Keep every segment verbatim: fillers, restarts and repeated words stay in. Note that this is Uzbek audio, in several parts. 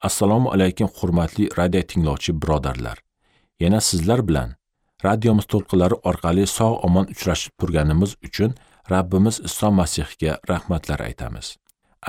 Assalomu alaykum hurmatli radio tinglovchi birodarlar. Yana sizlar bilan radiomiz to'lqinlari orqali sog' omon uchrashib turganimiz uchun Rabbimiz Iso Masihga rahmatlar aytamiz.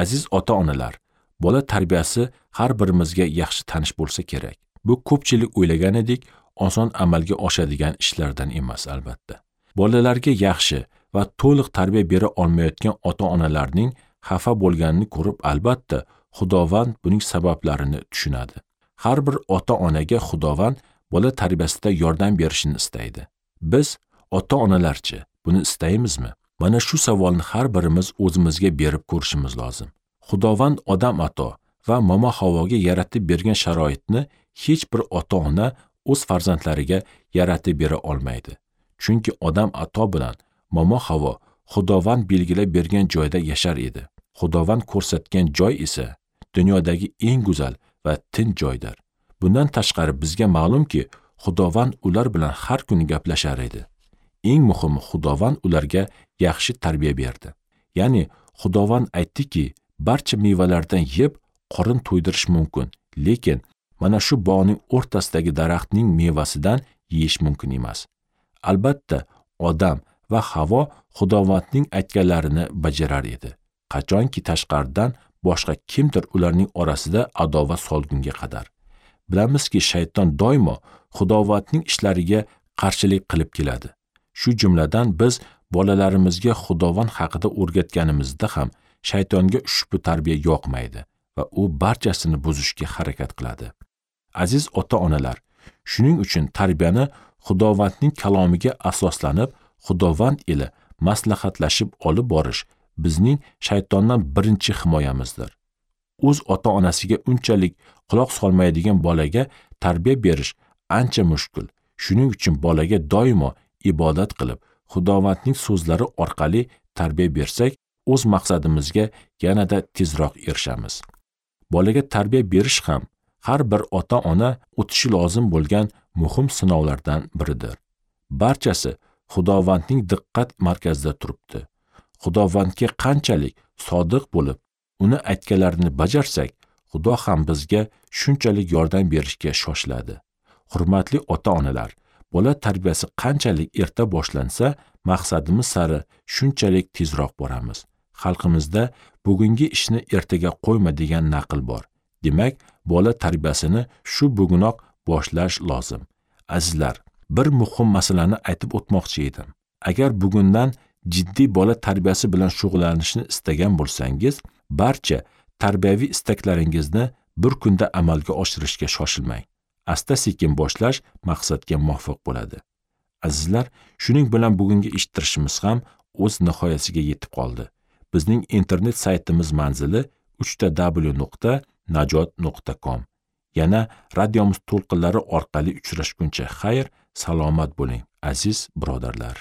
Aziz ota-onalar, bola tarbiyasi har birimizga yaxshi tanish bo'lsa kerak. Bu ko'pchilik o'ylaganidek oson amalga oshadigan ishlardan emas albatta. Bolalarga yaxshi va to'liq tarbiya bera olmayotgan ota-onalarning xafa bo'lganini ko'rib albatta Xudovand buning sabablarini tushunadi. Har bir ota-onaga Xudovand bola tarbiyasida yordam berishini istaydi. Biz ota-onalarchi buni istaymizmi? Mana shu savolni har birimiz o'zimizga berib ko'rishimiz lozim. Xudovand Odam ato va Momo Havoga yaratib bergan sharoitni hech bir ota-ona o'z farzandlariga yaratib bera olmaydi. Chunki Odam ato bilan Momo Havo Xudovand belgilab bergan joyda yashar edi. Xudovand ko'rsatgan joy esa dunyodagi eng go'zal va tinch joydir. Bundan tashqari bizga ma'lumki, Xudovand ular bilan har kuni gaplashar edi. Eng muhimi, Xudovand ularga yaxshi tarbiya berdi. Ya'ni Xudovand aytdiki, barcha mevalardan yeb qorin to'ydirish mumkin, lekin mana shu bog'ning o'rtasidagi daraxtning mevasidan yeyish mumkin emas. Albatta, Odam va Havo Xudovandning aytganlarini bajarar edi. Qachonki tashqaridan boshqa kimdir ularning orasida adovat solgunga qadar. Bilamizki, shayton doimo Xudovandning ishlariga qarshilik qilib keladi. Shu jumladan biz bolalarimizga Xudovand haqida o'rgatganimizda ham shaytonga ushbu tarbiya yoqmaydi va u barchasini buzishga harakat qiladi. Aziz ota-onalar, shuning uchun tarbiyani Xudovandning kalomiga asoslanib, Xudovand ila maslahatlashib olib borish bizning shaytondan birinchi himoyamizdir. O'z ota-onasiga unchalik quloq solmaydigan bolaga tarbiya berish ancha mushkul. Shuning uchun bolaga doimo ibodat qilib, Xudovandning so'zlari orqali tarbiya bersak, o'z maqsadimizga yanada tezroq erishamiz. Bolaga tarbiya berish ham har bir ota-ona o'tishi lozim bo'lgan muhim sinovlardan biridir. Barchasi Xudovandning diqqat markazida turibdi. Xudovandga qanchalik sodiq bo'lib, uni aytganlarini bajarsak, Xudo ham bizga shunchalik yordam berishga shoshiladi. Hurmatli ota-onalar, bola tarbiyasi qanchalik erta boshlansa, maqsadimiz sari shunchalik tezroq boramiz. Xalqimizda bugungi ishni ertaga qo'yma degan naql bor. Demak, bola tarbiyasini shu bugunoq boshlash lozim. Azizlar, bir muhim masalani aytib o'tmoqchi edim. Agar bugundan jiddiy bola tarbiyasi bilan shug'ullanishni istagan bo'lsangiz, barcha tarbiyaviy istaklaringizni bir kunda amalga oshirishga shoshilmang. Asta-sekin boshlash maqsadga muvofiq bo'ladi. Azizlar, shuning bilan bugungi eshittirishimiz ham o'z nihoyasiga yetib qoldi. Bizning internet saytimiz manzili uch ta w nuqta najot nuqta com. Yana radiomiz to'lqinlari orqali uchrashguncha xayr, salomat bo'ling, aziz birodarlar.